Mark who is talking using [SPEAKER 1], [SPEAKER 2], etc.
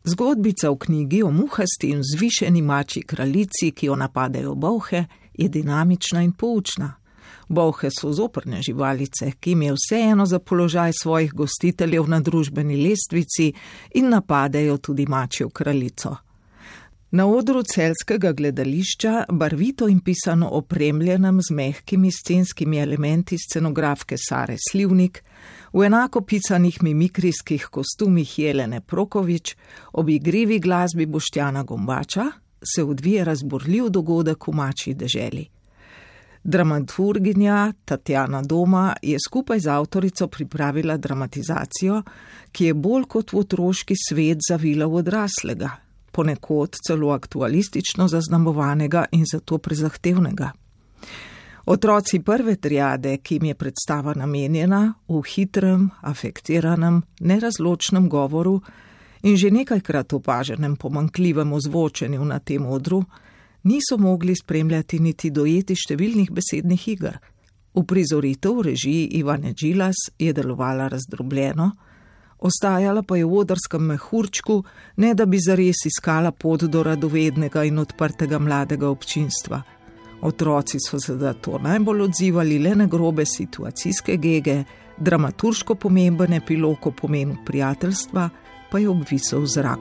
[SPEAKER 1] Zgodbica v knjigi o muhasti in vzvišeni mačji kraljici, ki jo napadajo bolhe, je dinamična in poučna. Bolhe so zoprne živalice, ki jim je vseeno za položaj svojih gostiteljev na družbeni lestvici in napadajo tudi mačjo kraljico. Na odru celjskega gledališča, barvito in pisano opremljenem z mehkimi scenskimi elementi scenografke Sare Slivnik, v enako pisanih mimikrijskih kostumih Jelene Prokovič, ob igrivi glasbi Boštjana Gombača, se odvije razburljiv dogodek v mačji deželi. Dramaturginja Tatjana Doma je skupaj z avtorico pripravila dramatizacijo, ki je bolj kot v otroški svet zavila v odraslega, ponekod celo aktualistično zaznamovanega in zato prezahtevnega. Otroci prve triade, ki jim je predstava namenjena, v hitrem, afektiranem, nerazločnem govoru in že nekajkrat opaženem pomanjkljivem ozvočenju na tem odru, niso mogli spremljati niti dojeti številnih besednih iger. Uprizoritev v režiji Ivane Džilas je delovala razdrobljeno, ostajala pa je v odrskem mehurčku, ne da bi zares iskala pot do radovednega in odprtega mladega občinstva. Otroci so se zato najbolj odzivali le na grobe situacijske gege, dramaturško pomemben epilog o pomenu prijateljstva pa je obvisel v zraku.